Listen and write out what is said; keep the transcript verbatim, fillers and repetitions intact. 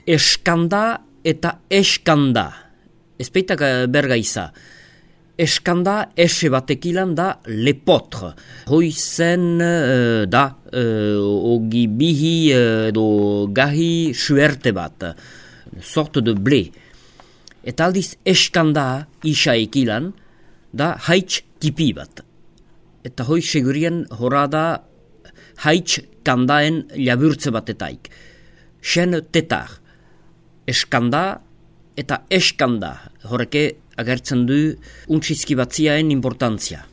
Eskanda eta eskanda. Ez baitak berga iza. Eskanda, ese batekilan da lepotre. Hoi zen uh, da, uh, ogi bihi uh, do gahi suerte bat. Sorte de blé. Eta aldiz eskanda isa ekilan da haitz tipi bat. Eta hoi segurien hora da haitz kandaen laburtze batetaik. Sen tetar. Eskanda eta eskanda horreke agertzen du untxizki batziaen importantzia.